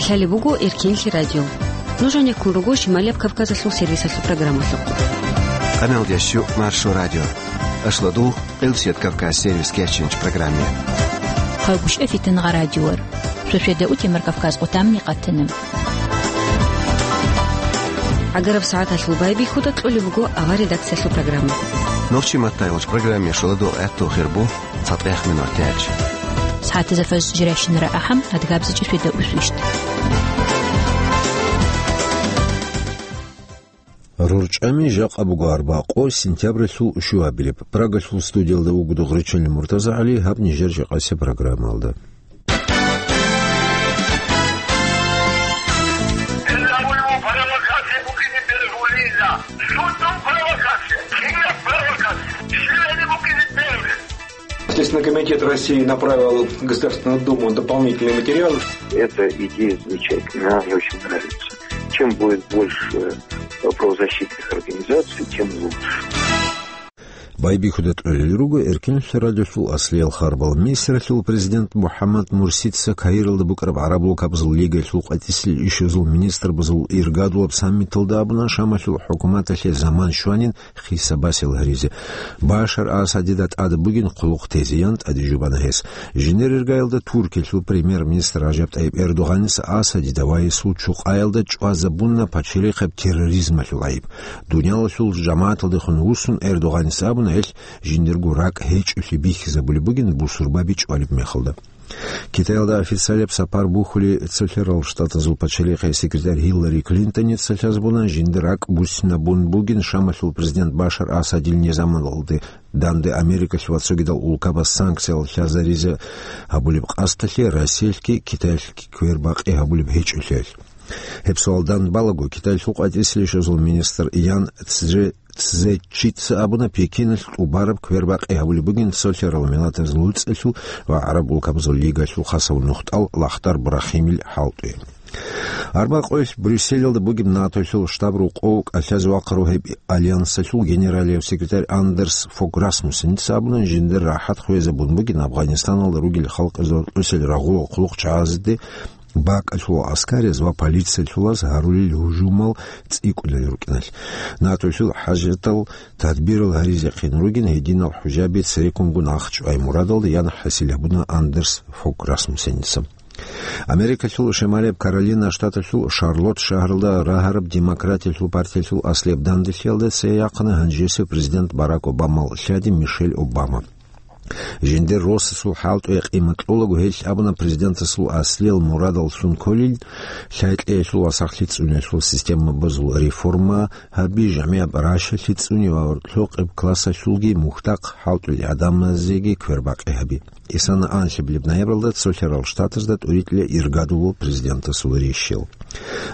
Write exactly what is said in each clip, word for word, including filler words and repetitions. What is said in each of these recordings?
Лъалеб буго Эркенлъи радио. Нуж гьанеккун руго Шималияб Кавказалъул сервисалъул программалъухъ. Къаналдящу Маршо радио. Ашлодул Къилсият Кавказ сервис кечинч программе. Хъагушев Фитнагъа радиор. Шошеда утемар Кавказ отамни къатана. Агараб сагӀаталъул байбихьуда кьолеб буго авар редакциялъул программа. Нохчи маттайгъулч программе шоладул гӀатту хирбу цатӀех минут тяч. СагӀатазда фаз жиращинара ахӀам, адгабзичӀи шведа усвищт. РорчӀами жакъа буго арбакъо сентябралъул щуабилеб. Прагалъул студиялда вуго Догъричалил МуртазагӀали, гьаб нижер жакъасеб программалда. Следственный комитет России направил в Государственную Думу дополнительный материал. Это идея замечательная, она мне очень нравится. Чем будет больше правозащитных организаций, тем лучше. Байбихьуда кьолел руго Эркенлъи радиолъул аслиял харбал. Мисралъул президент МухӀаммад Мурсица Каиралда букӀараб ГӀараб Лукабазул Лигалъул къватӀисел ишазул министрбазул иргадулаб саммиталда абуна, Шамалъул хӀукуматалъе заман щванин хисабасел гьаризе. Башар Асадида тӀад бугин хъулухъ тезе, ян тӀаде жубана гьес. Жинер иргаялда Туркиялъул премьер-министр Ражаб ТӀайиб Эрдогъаница Асадида ва гьесул чукъаялда чӀвазабуна пачалихъаб терроризмалъул гӀайиб. Дуниялалъул жамагӀаталдехун вуссун, Эрдогъаница абуна, гьелъ жиндирго ракӀ гьечӀолъи бихьизабулеб бугин бусурбаби чӀвалеб мехалда. Китаялда официалияб сапар бухьулев Цолъарал Штатазул пачалихъе секретарь Гьиллари Клинтоница лъазабуна, жиндир ракӀ буссинабун бугин Шамалъул президент Башар Асадил низамалде данде Америкалъ ва цогидал улкабаз санкциял лъазаризе гьабулеб къасдалъе Россиялъги Китаялъги квербакъи гьабулеб гьечӀолъиялъ. Гьеб суал данде балаго, Китаялъул къватӀисел ишазул министр Ян Цзе-, Цзечица абуна, Пекиналъ тӀубараб квербакъи гьабулеб бугин Цолъарал Миллатаз ЛуцӀалъул ва ГӀараб улкабазул Лигалъул хасав нухтӀал Лахдар Брахимил хӀалтӀуе. Арбакъоялъ Брюсселалда бугеб НАТОлъул штаб-рокъов кӀалъазе вахъарав гьеб альянсалъул генералияв секретарь Андерс Фог Расмуссеница абуна, жиндир рахӀат хвезабун бугин Афганистаналда ругел халкъазул рокьисел рагъулал хъулухъчагӀазде бакӀалъул аскараз ва полициялъулаз гьарулел гьужумал цӀикӀкӀунел рукӀиналъ. НАТОлъул хӀажатал тадбирал гьаризехъин ругин гьединал хӀужаби цереккунго нахчӀвай мурадалда, ян хӀасил гьабуна Андерс Фог Расмуссеница. Америкалъул Шималияб Каролина штаталъул Шарлотт шагьаралда рагьараб Демократиялъул партиялъул аслияб данделъиялда цее яхъана гьанжесев президент Барак Обамал лъади Мишель Обама. Жиндир росасул хӀалтӀуе къимат кьолаго, гьелъ абуна президентасул аслиял мурадаллъун кколин, лъай-кьеялъул ва сахлъи цӀуниялъул системабазул реформа гьаби, жамигӀат ращалъи цӀуни ва гьоркьохъеб классалъулги мухьдахъ хӀалтӀулел гӀадамазеги квербакъи гьаби. Исана анлъабилеб ноябралда Цолъарал Штатазда тӀуритӀила иргадулев президентасул рещел.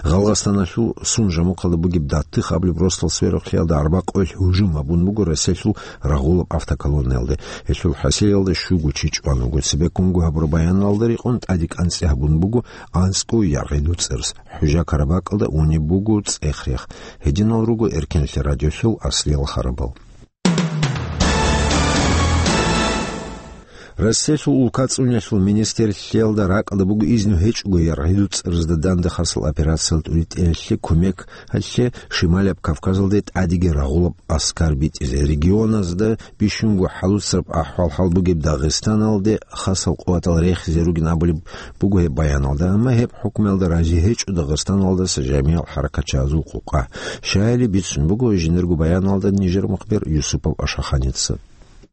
Гъалгъастаналъул Сун-Жамухъалда бугеб Даттих абулеб росдал сверухълъиялда арбакъоялъ гьужум гьабун буго Россиялъул рагъулаб автоколоннаялде. Гьелъул хӀасилалда щуго чи чӀван вуго. Цебеккунго гьабураб баяналда рекъон тӀаде кӀанцӀи гьабун буго анцӀго яргъи дуцӀарас. ХӀужа Карабакалда унеб буго цӀех-рех. Гьединал руго Эркенлъи радиолъул аслиял харабал. Россиялъул улкацӀуниялъул министрлъиялда ракӀалда буго изну гьечӀого яргъи дуцӀаразда данде хасал операциялда тӀуритӀиялъе кумекалъе Шималияб Кавказалде тӀадеги рагъулаб аскар битӀизе. Регионазда бищунго хӀалуцараб ахӀвал-хӀал бугеб Дагъистаналде хасал къуватал рехизе ругин абулеб буго гьеб баяналда, амма гьеб хӀукмуялда рази гьечӀо Дагъистаналдаса жамигӀал хӀаракатчагьазул къукъа. Щайили бицун буго жиндирго баяналда нижер мухбир Юсупов Ашаханица.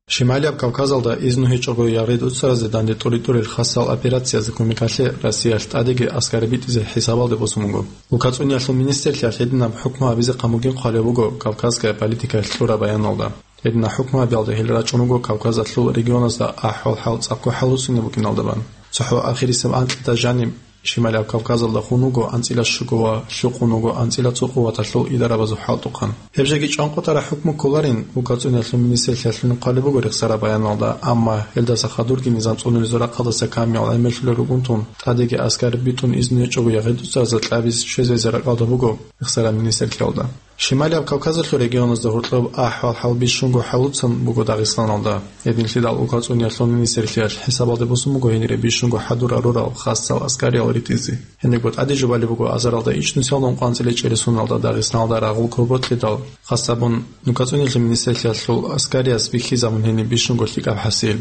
Шималияб Кавказалда изну гьечӀого яргъи дуцаразе данде тӀуритӀулел хасал операциязда кумекалъе Россиялъ тӀадеги аскар битӀизе хӀисабалде босун буго. УлкацӀуниялъул министрлъиялъ гьединаб хӀукму гьабизе къамугин хъвалев вуго кавказская политикаялъ кьураб баяналда. Гьединаб хӀукму гьабиялда гьел рачӀун руго Кавказалъул регионазда ахӀвал-хӀал цӀакъго хӀалуцунеб букӀиналдабан. ЦохӀо ахирисеб анкьида жаниб Шималияб Кавказалда хун вуго анцӀила щуго ва лъукъун вуго анцӀила цо къуваталъул идарабазул хӀалтӀухъан. Гьеб жеги чӀван къотӀараб хӀукму кколарин, улкацӀуниялъул министрлъиялъулин хъвалеб буго рехсараб баяналда, амма гьелдаса хадурги низам цӀунулезул рахъалдаса камиял гӀемерлъулел ругунтун, тӀадеги аскар битӀун изну гьечӀого яргъи дуцаразда кьабиз щвезе ракӀалда буго рехсараб министрлъиялда. Шималияб Кавказалъул регионазда гьоркьоб ахӀвал-хӀал бищунго хӀалуцан буго Дагъистаналда. Гьединлъидал улкацӀуниялъул министрлъиялъ хӀисабалде босун буго гьенире бищунго хӀадур гьарурал хасал аскариял ритӀизе. Гьенибго тӀаде жубалеб буго азаралда ичӀнусиялда ункъоялда анцӀила чӀересуналда Дагъистаналда рагъул кор ботлъидал, хасабун улкацӀуниялъул министрлъиялъул аскарияс бихьизабун гьениб бищунго лъикӀаб хӀасил.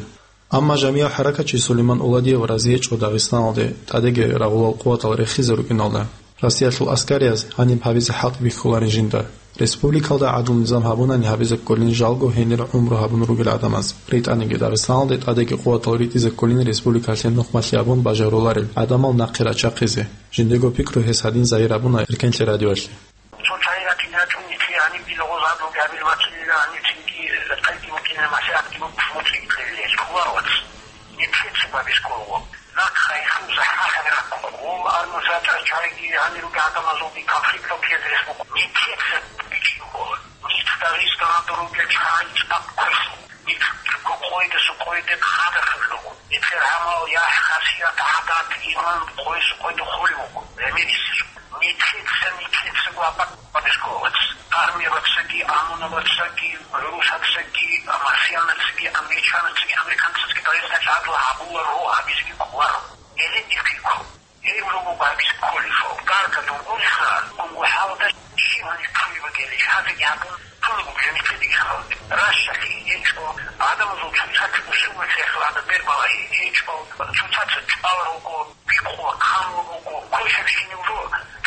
Амма жамигӀ хӀаракатчи Сулейман Уладиев рази гьечӀо Дагъистаналде тӀадеги рагъулал къуватал рехизе рукӀиналда. Россиялъул аскарияз гьаниб гьабизе хӀалтӀи бихьуларин жинда. Республикалда гӀадлу-низам гьабунани гьабизе кколин жалго гьенир гӀумру гьабун ругел гӀадамаз. РитӀаниги Дагъистаналде тӀадеги къуватал ритӀизе кколин республикалъе нухмалъи гьабун бажаруларел гӀадамал нахъе рачахъизе. Жиндего пикру гьес гьадин загьир гьабуна Эркенлъи радиоялъе. Цо чагӀи ратине гьечӀо, нилъее гьаниб дила гъоз гьаб ругел гьабил вацлъила, гьаниб цинги тӀадги букӀине, масхӀабги букӀ, муцӀи кьелилел кколаро вац. Нилъеца бабисколого. Нахъ хайхун захӀмалъи раккун. Гъол армузатӀа чагӀиги гьанир ругел гӀадамазулги конфликтал ккезе рес букӀун. Нилъеца бичӀчӀи ккола. Нилъ Дагъистаналда ругел чагӀи цӀакъ квешлъун. Нилъго къойдасу къойде хадахъ руго. Нилъер гӀамал, яхӀ, хасият, гӀадат, иман къойсу къойде холев вуго. Гьемерисезу. Нилъеца, нилъецаго абакъ бабисколац. Армиябацаги, ОМОНабацаги, гӀурусацаги, марсианацаги, англичанацаги, американцацаги Дагъистаналъ гӀадлу гьабуларо, гьабизеги кколаро. Гьеле нилъго. Гьеб руго гьабизе кколеб. Дарда дугурха, гунгу хӀалда щибали кколеб бугелищ, гьазеги гьабун, кколеб бугелищ нилъедаги хал. Ращалъи гьечӀо, гӀадамазул цоцазда усулалъе хьвада бербалагьи гьечӀо, цоцазда чӀвал руго, бикъула хъанлъи буго, квешабщинаб жо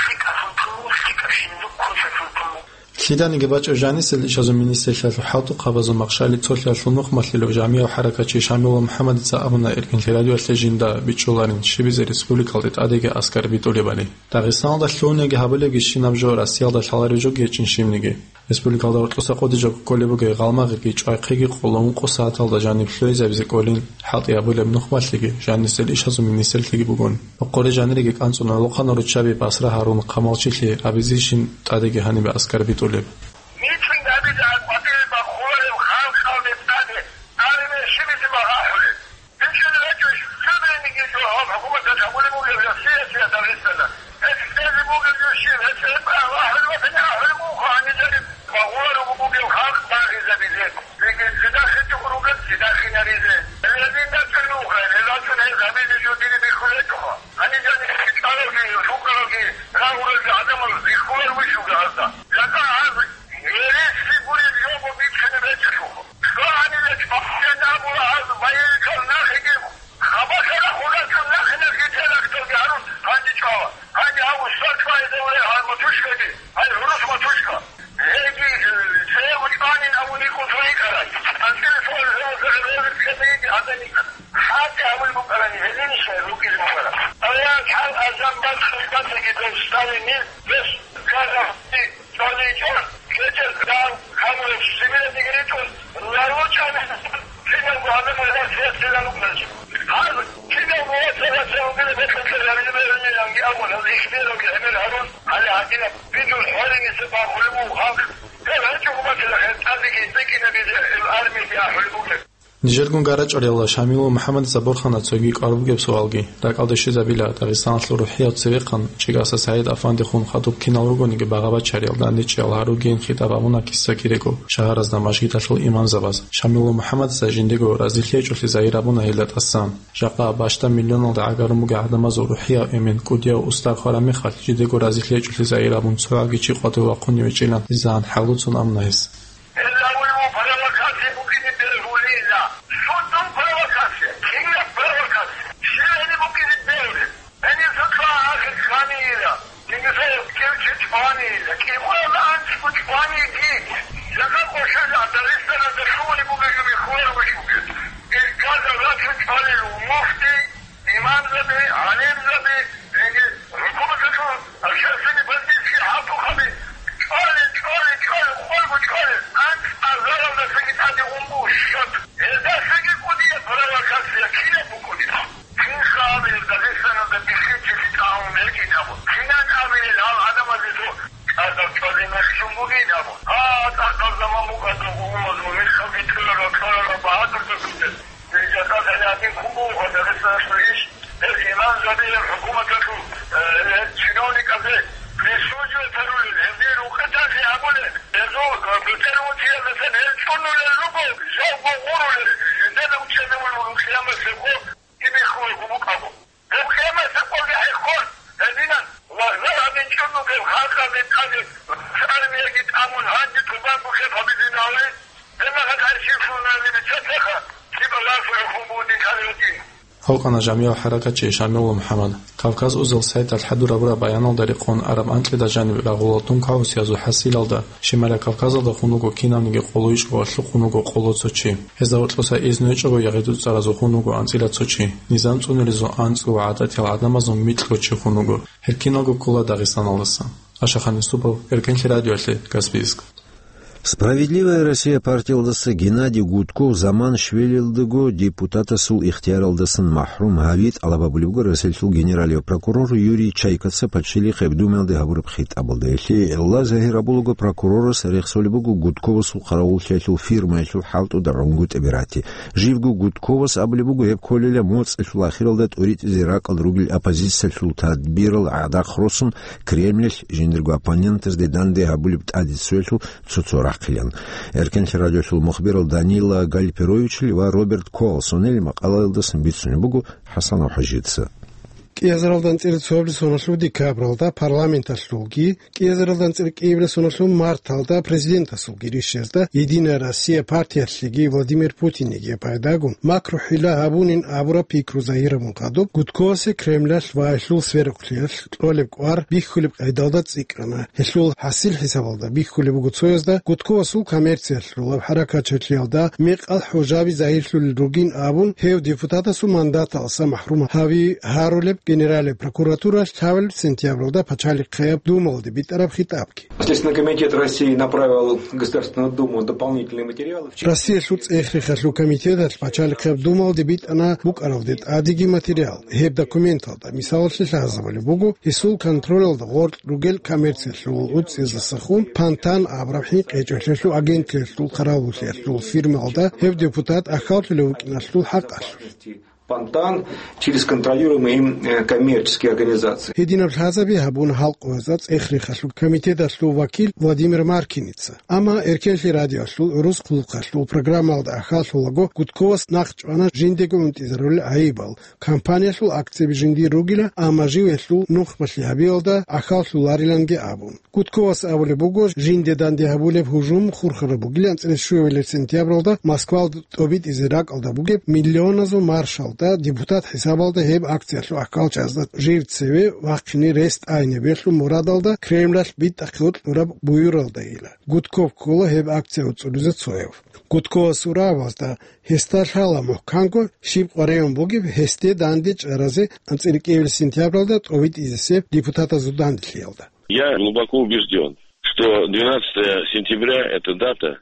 лъикӀаблъун тун буго, лъикӀабщинаб жо квешаблъун тун буго. Лъиданиги бачӀеб жанисел ишазул министрлъиялъул хӀалтӀухъабазул махщали цолъиялъул нухмалъилав жамигӀ хӀаракатчи Шамилул МухӀаммадица абуна Эркенлъи радиоялъе жинда бичӀчӀуларин щибизе республикалде тӀадеги аскар битӀулебали. Дагъистаналда лъугьунеги гьабулебги щинаб жо Россиялда лъалареб жоги гьечӀин щибниги. Республикалда гьоркьоса къоде жо кколеб бугей гъалмагъиги чӀвайхъиги къоло ункъо сагӀаталда жаниб лъугьизабизе кколин хӀалтӀи гьабулеб нухмалъиги жанисел ишазул министрлъиги бугон. Къокъоре жаниреги кӀанцӀун гӀолохъанал руччаби Басра Гьарун Хъамалчилъи абизейищин тӀадеги гьанибе аскар битӀулеб. Митинг гьабизе гьаб къватӀире бахуларев халкъалде тӀаде армия щибизе магӀахӀулеб? БичӀчӀулеб гьечӀищ, цебениги жо гьаб хӀукуматалъ гьабулеб бугеб Россиялъ я Дагъисталда? Гьеб кьезе бугеб жо щиб? Гьеб гьеб ахӀулеб батани ахӀулеб буго гьаниб жаниб багъуларого бугеб халкъ багъизабизе. Легин цидахъе чӀугӀ ругел цидахъинаризе. Гьелин дачӀун нуха, гьел рачӀун гьез гьабизе жо диде бихьулечӀоха. Гьаниб жаниб лъикӀалалги, лъукъалалги, рагъулелги гӀадамал бихьулар вуссуго гьазда. Жакъа гьаз гьереси гуреб жо буго бичӀчӀулеб гьечӀелъулха. ЦӀа гьаниб чӀваллъи абула гьаз байиликал нахиги, хабалъ рахун рачӀун нахиналъги теракталги гьарун гьанже чӀвала. Гьанже гьав устар чӀвазе вугев гьай матушкаги, гьай гӀурус матушка. Гьеги, э, цӀего чӀванин абун йикӀун цо йикӀарай. АнцӀила цо гӀурусазе гӀурусазе ккезе йиги гьадин йикӀарай. ХӀалтӀи гьабулеб букӀарани гьелин щай рукӀизе букӀараб. Аял хӀал азан бацӀцӀадги дов Сталинил дос Газахъи ЦӀаличӀо, кечӀел гал, гьабураб Сибиралдеги ритӀун, лалучӀани киналго гьабизе гьесие лалукӀанач. Гьаб киналго вацал-вацал ругел бетӀер гьабизе бегьулиланги абун, гьаб ихтияр ругел гӀемер гьарун, гьале гьадинаб бидул хӀвариниса бахулеб буго халкъ. Гьеб гьечӀого батила гьеб тӀадеги бекӀинабизе гьеб армияде ахӀулеб бугеб. Нижергун гарачӀарила Шамилул МухӀаммадица борхана цоги кӀвар бугеб суалги. РакӀалде щвезабила Дагъистаналъул рухӀияв цевехъан ЧӀигаса СагӀид Афандихун хадуб кинал ругониги багъа-бачариял, дандечӀиял гьаругейин хитӀаб гьабуна киса-кирего шагьаразда мажгиталъул имамзабаз. Шамилул МухӀаммадица жиндего разилъи гьечӀолъи загьир гьабуна гьелда тӀасан. Жакъа бащдаб миллионалда гӀагарун бугеб гӀадамазул рухӀияв эмен кӀудияв устар хвараб мехалъ, жидего разилъи гьечӀолъи загьир гьабун цо гьаги чи къватӀив вахъунев гьечӀилан дизагьан хӀалуцун абуна гьес. Гьелда гьабулеб буго провокация букӀине бегьулила. Щуцун провокация, кинаб провокация? Щиб гьениб букӀине бегьулеб? Гьениса цо ахир кканила, гьениса кев чи чӀванила, кӀикъоялда анцӀго чӀваниги, жага къошелда Дагъистаналда лъугьунеб бугеб жо бихьуларо бихьуге. Ил газа рачун чӀвалел муфти, имамзаби, гӀалимзаби, гьениб хӀукуматалъул общественный политический хӀалтӀухъаби чӀвали, чӀвали, чӀвали, къойго чӀвали, Халкъана жамигӀал хӀаракатчи Шамилов МухӀаммад. Кавказ узел сайталъ хӀадур гьабураб баяналда рекъон араб анкьида жаниб рагъула дун кагьусиязул хӀасилалда, Шималияб Кавказалда хунуго кинавниги къоло ичӀго ва лъухъун вуго къоло цо чи. Гьезда гьоркьоса изну гьечӀого ягъи-дуцӀаразул хунуго анцӀила цо чи, низам цӀунилизул анцӀго ва гӀадатиял гӀадамазул микьго чи хунуго. Гьел киналго ккола Дагъистаналдаса. Ашахан Юсупов, Эркенлъи радиоялъе, Каспийск. «Справедливая Россия» партиялдаса Геннадий Гудков заман щвелалдаго депутатасул ихтияралдасан махӀрум гьави тӀалаб гьабулеб буго Россиялъул генералияв прокурор Юрий Чайкаца Пачалихъеб Думаялде гьабураб хитӀабалда. Гьелъие гӀилла загьир гьабулаго прокурорас рехсолеб буго Гудковасул хъаравуллъиялъул фирмаялъул хӀалтӀуда гӀунгутӀаби рати. Живго Гудковас абулеб буго гьеб кколила моцӀалъул ахиралда тӀуритӀизе ракӀалда ругел оппозициялъул тадбирал гӀадахъ росун, Кремльалъ жиндирго оппонентазде данде гьабулеб тӀаде цоялъул цо-цо рахъилан. Эркенлъи радиоялъул мухбирал Данила Гальперовичил ва Роберт Колсонил макъалаялдасан бицунеб буго ХӀасанов ХӀажица. КӀиазаралда анцӀила цоабилеб соналъул декабралда парламенталъулги, кӀиазаралда анцӀила кӀиабилеб соналъул марталда президентасулги ришшазда «Единая Россия» партиялъеги Владимир Путинниги пайдагун макру-хӀила гьабунин абураб пикру загьирабун хадуб, Гудковасе Кремльалъ ва гьелъул сверухълъиялъ кьолеб кӀвар бихьулеб къайдалда цӀикӀкӀана. Гьелъул хӀасил хӀисабалда бихьулеб буго цоязда Гудковасул коммерциялъулаб хӀаракатчилъиялда мекъал хӀужаби загьирлъулел ругин абун, гьев депутатасул мандаталдаса махӀрум гьави гьарулеб Генеральная прокуратуралъ лъабабилеб сентябралда Пачалихъеб Думалде битӀараб хитӀабги. Следственный комитет России направил в Государственную Думу дополнительные материалы. Россиялъул ЦӀехрехалъул комитеталъ Пачалихъеб Думалде битӀана букӀаралде тӀадеги материал. Гьеб документалда, мисалалъе, лъазабулеб буго гьесул контролалда гъоркь ругел коммерциялъул уцӀцӀизасахун Пантан абураб хӀинкъичӀелъиялъул агентлъиялъул хъаравуллъиялъул фирмалда гьев депутат ахьаллъулев вукӀиналъул хӀакъалъулъ. Пантан через контролируемые им, э, коммерческие организации. Гьединаб лъазаби гьабуна гьал къоязда ЦӀехрехалъул комитеталъул вакил Владимир Маркиница. Амма Эркенлъи радиоялъул гӀурус хъулухъалъул программалда ахьаллъулаго Гудковас нахъчӀвана жиндего гӀунтӀизарулел гӀайибал, компаниялъул акцияби жиндир ругила, амма жив гьелъул нухбалъи гьабиялда ахьаллъулариланги абун. Гудковас абулеб буго, жинде данде гьабулеб гьужум хурхараб бугилан анцӀила щуабилеб сентябралда Москвалда тӀобитӀизе ракӀалда бугеб миллионазул маршалда депутат хӀисабалда гьеб акциялъул ахӀкалчазда жив цеве вахъине рес тӀайнабиялъул мурадалда Кремлалъ битӀахъе вокьулеб буюралдайила. Гудков ккола гьеб акция уцӀцӀулизе цояв. Гудковасул рагӀабазда гьесда лъала мухӀканго щиб къваригӀун бугеб гьесде данде чӀаразе анцӀила кӀиабилеб сентябралда тӀобитӀизесеб депутатазул данделъиялда. Я глубоко убежден, что двенадцатое сентября — это дата.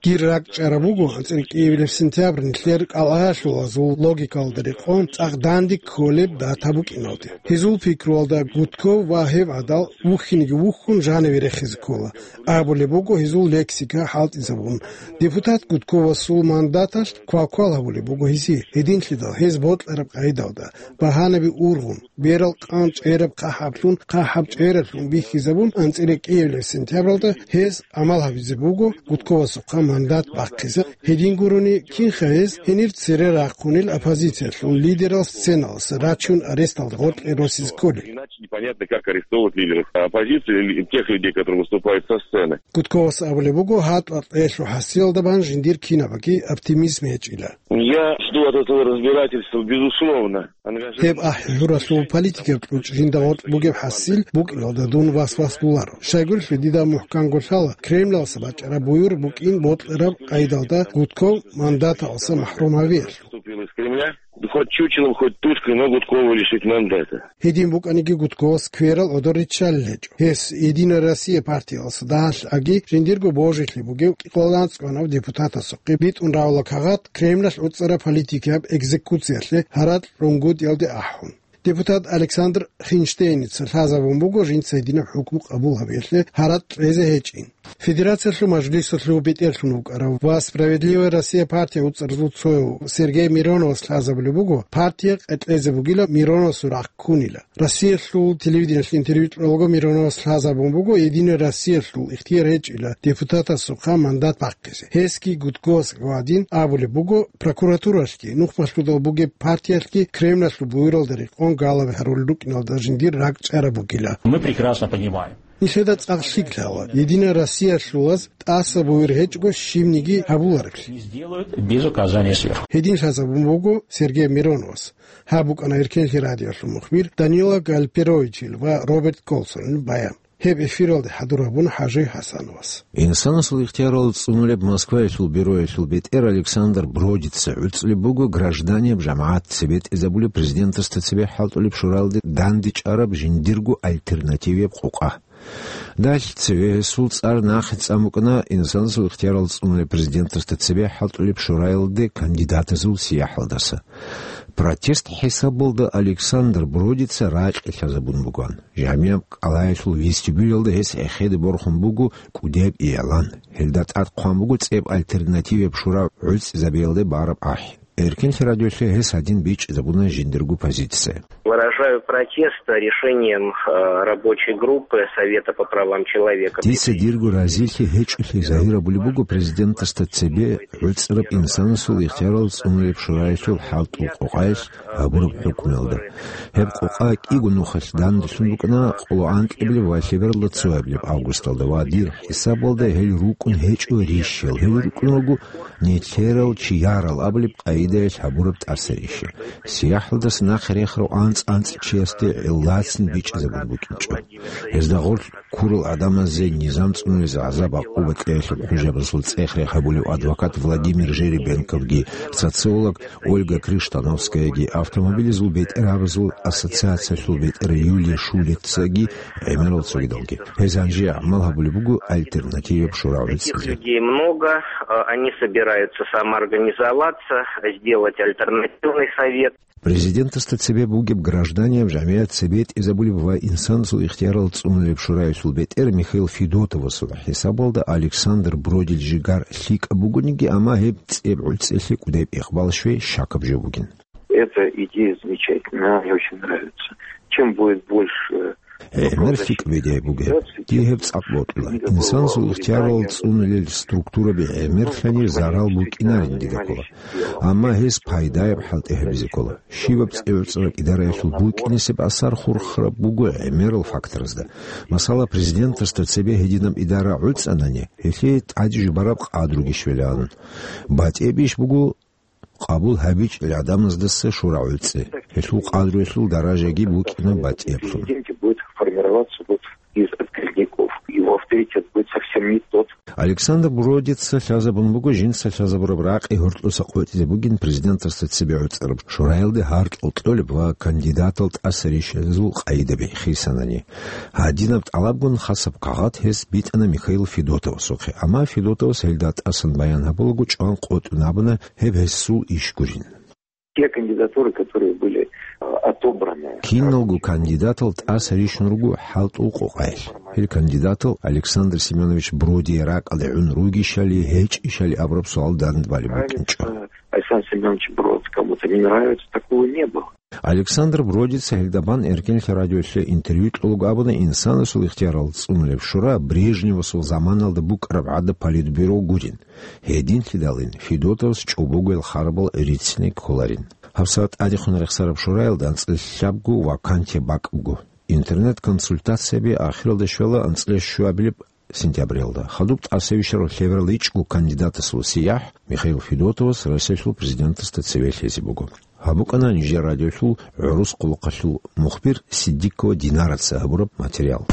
Дир ракӀчӀараб буго анцӀила кӀиабилеб сентябрь нилъер кӀалъаялъулазул логикалда рекъон цӀакъ данде кколеб дата букӀиналде. Гьезул пикруялда Гудков ва гьев гӀадал вухьинги вухьун жаниве рехизе ккола. Абулеб буго гьезул лексика хӀалтӀизабун. Депутат Гудковасул мандаталъ квалквал гьабулеб буго гьесие, гьединлъидал гьез бокьараб къайдалда, багьанаби ургъун, берал къан чӀераб хъахӀаблъун хъахӀаб чӀераблъун бихьизабун, анцӀила кӀиабилеб сентябралда гьез гӀамал гьабизе буго Гудковасухъа мандат бахъизе. Гьедин гурони, кинха гьез гьенир цере рахъунел оппозициялъул лидерал сценаласа рачун аресталда гъоркье росизе кколел. Иначе непонятно, как арестовывать лидеров оппозиции или тех людей, которые выступают со сцены. Гудковас абулеб буго, гьатӀа-кьелъул хӀасилалда бан жиндир кинабаги оптимизм гьечӀила. Я жду от этого разбирательства, безусловно, ангажированных. Гьеб ахӀи-хӀуралъул политикаб кьучӀ жинда гъоркь бугеб хӀасил букӀиналда дун вас-вас гуларо. Щайгурелъул дида мухӀканго лъала Кремлалса бачӀараб буюр букӀин бокьараб къайдалда Гудков мандаталса махӀрум гьавиялъул. Выступил из Кремля. Хоть чучелом, хоть тушкой, но Гудкова лишить мандата. Гьедин букӀаниги Гудковас кверал гӀодор риччалел гьечӀо. Гьес «Единая Россия» партияласа дагьалъаги жиндирго божилъи бугев кӀикъоялда анцӀкӀванав депутатасухъе битӀун равала кагъат Кремлалъ уцӀцӀараб политикияб экзекуциялъе гьаракь рунгутӀиялде ахӀун. Депутат Александр Хинштейница лъазабун буго жинца гьединаб хӀукму къабул гьабиялъе гьаракь кьезе гьечӀин. Федерациялъул мажлисалъул бетӀерлъун вукӀарав ва «Справедливая Россия» партия уцӀцӀарзул цояв Сергей Мироновас лъазабулеб буго, партия къекълъезе бугила, Мироновасул рахъ ккунила. Россиялъул телевидениялъе интервью кьолаго Мироновас лъазабун буго, «Единая Россиялъул» ихтияр гьечӀила депутатасухъа мандат бахъизе. Гьесги Гудковас гӀадин абулеб буго, прокуратуралъги, нухбалъудал бугеб партиялъги Кремлалъул буюралда рекъон галаби гьарулел рукӀиналда жиндир ракӀчӀараб бугила. Мы прекрасно понимаем, Нилъеда цӀакъ лъикӀ лъала, Единая Россиялъулаз тӀаса бугер гьечӀого щибниги гьабулареблъи. Без указания сверху. Гьедин лъазабун буго Сергей Мироновас. Гьаб букӀана Эркенлъи радиолъул мухбир Данила Гальперовичил ва Роберт Колсонил баян. Гьеб эфиралде хӀадур гьабуна ХӀажи ХӀасановас. Инсанасул ихтиярал цӀунулеб Москваялъул бюроялъул бетӀер Александр Бродица гӀуцӀулеб буго гражданияб жамагӀат цебетӀезабулеб президентасда цебе хӀалтӀулеб шураялде дандечӀараб жиндирго альтернативияб къокъа. Далъ цеве гьесул цӀар нахъе цӀан букӀана инсанасул ихтиярал цӀунулеб президентасда цебе хӀалтӀулеб шураялде кандидатазул сияхӀалдаса. Протест хӀисабалда Александр Бродица ракье лъазабун бугоан. Жамияб кӀалаялъул вестибюлалда гьес эхеде борхун буго кӀудияб иялан. Гьелда тӀад хъван буго цӀеб альтернативияб шура гӀуцӀизабиялде бараб ахӀи. Эркенлъи радиолъе гьес гьадин бичӀчӀизабуна жиндирго позиция. Выражаю протест решением, э, рабочей группы Совета по правам человека. Дица дирго разилъи гьечӀолъи загьир гьабулеб буго президентасда цебе гӀуцӀараб инсанасул ихтиярал цӀунулеб шураялъул хӀалтӀул къокъаялъ гьабураб хӀукмуялда. Гьеб къокъа кӀиго нухалъ данделъун букӀана къоло анкьабилеб ва лъебералда цоабилеб августалда ва дир хӀисабалда гьел рукӀун гьечӀо рищал, гьел рукӀун руго нилъерал чиярал абулеб къагӀидаялъ гьабураб тӀаса рищал. СияхӀалдаса нахъе рехарав анцӀ-анцӀ чиясде гӀиллацин бичӀчӀизабун букӀинчӀо. Гьезда гъорлъ ккурал гӀадамазе низам цӀунулез гӀазаб-гӀакъуба кьеялъул хӀужабазул цӀех-рех гьабулев адвокат Владимир Жеребенковги, социолог Ольга Криштановскаяги, автомобилазул бетӀергьабазул ассоциациялъул бетӀер Юлия Шулецаги гӀемерал цогидалги. Гьез гьанже гӀамал гьабулеб буго альтернативияб шура гӀуцӀизе. Таких людей много, э, они собираются самоорганизоваться, сделать альтернативный совет. Президентасда цебе бугеб гражданияб жамгӀият цебетӀезабулеб ва инсанасул ихтиярал цӀунулеб шураялъул бетӀер Михаил Федотовасул хӀисабалда Александр Бродил жигар лъикӀаб бугониги, амма гьеб цӀеб гӀуцӀиялъе кӀудияб ихбал щвей щакаб жо бугин. Эта идея замечательная, она мне очень нравится. Чем будет больше ГӀемер лъикӀ бедяй бугеб. Дие гьеб цӀакъ бокьула. Инсанасул ихтиярал цӀунулел структураби гӀемерлъани зарал букӀинарин дида ккола. Амма гьес пайдаяб хӀалтӀи гьабизе ккола. Щибаб цӀегӀуцӀракӀ идараялъул букӀинесеб асар хурхараб буго гӀемерал факторазда. Масала, президентасда цебе гьединаб идара гӀуцӀанани, гьелъие тӀаде жубараб къадруги щвелаан. БатӀияб иш буго къабул гьабичӀел гӀадамаздаса шура гӀуцӀи. Гьелъул къадруялъул даражаги букӀина батӀияблъун. Президенте будет формироваться вот из отказников. Его авторитет будет совсем не тот. Александр Бродица лъазабун буго жинца лъазабураб ракъи гьоркьоса къотӀизе бугин президентасда цебе гӀуцӀараб шураялде гьаркьул кьолеб ва кандидатал тӀаса рищазул къайдаби хисанани. Гьадинаб тӀалабгун хасаб кагъат гьес битӀана Михаил Федотовасухъе, амма Федотовас гьелда тӀасан баян гьабулаго чӀван къотӀун абуна гьеб гьесул иш гурин. Те кандидатуры, которые были, э, отобраны. Киналго кандидатал тӀаса рищун руго хӀалтӀул къокъаялъ. Гьел кандидатал Александр Семенович Бродие ракӀалде гӀун ругищали, гьечӀищали абураб суал дандбалеб букӀинчӀо. Нравится Александр Семенович Брод, кому-то не нравится, такого не было. Александр Бродица гьелда бан Эркенлъи радиолъе интервью кьолго абуна инсанасул ихтиярал цӀунулеб шура Брежневасул заманалда букӀараб гӀадаб политбюро гурин. Гьединлъидалин Федотовас чӀобогоял харабал гӀирицине кколарин. ГьабсагӀат тӀадехун рехсараб шураялда анцӀила лъабго вакансия бакӀ буго. Интернет-консультацияби ахиралда щвела анцӀила щуабилеб сентябралда. Хадуб тӀасабищараб лъебералда ичӀго кандидатасул сияхӀ Михаил Федотовас Россиялъул президентасда цеве лъезе буго. Гьаб букӀана нижер радиолъул гӀурус къулухъалъул мухбир Сиддикова Динараца гьабураб материал.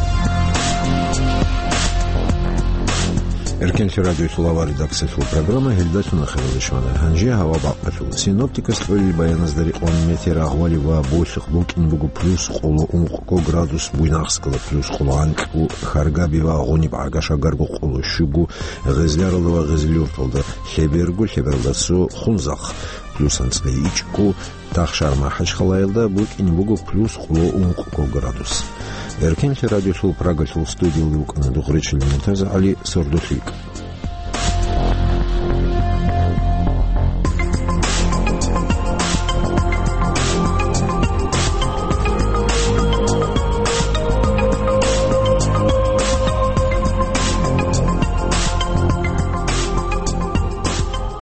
Эркенлъи радиолъул авар редакциялъул программа гьелдалъун ахиралде щвана. Гьанже гьава бакъалъул. Синоптикас кьолел баяназда рекъон метер агъвали ва болъихъ букӀин буго плюс къоло ункъго градус Буйнакскалда, плюс къоло анкьго Харгаби ва Гъуниб ГӀагашагарго, къоло щуго Гъезляралда ва Гъезлюрталда, лъеберго, лъебералда цо Хунзахъ, плюс анцӀила ичӀго Тахшар МахӀачхъалаялда букӀин буго плюс къоло ункъго градус. Эркенлъи радиолъул Прагалъул студиялда вукӀана Дугъречил МуртазагӀали, сордолъи.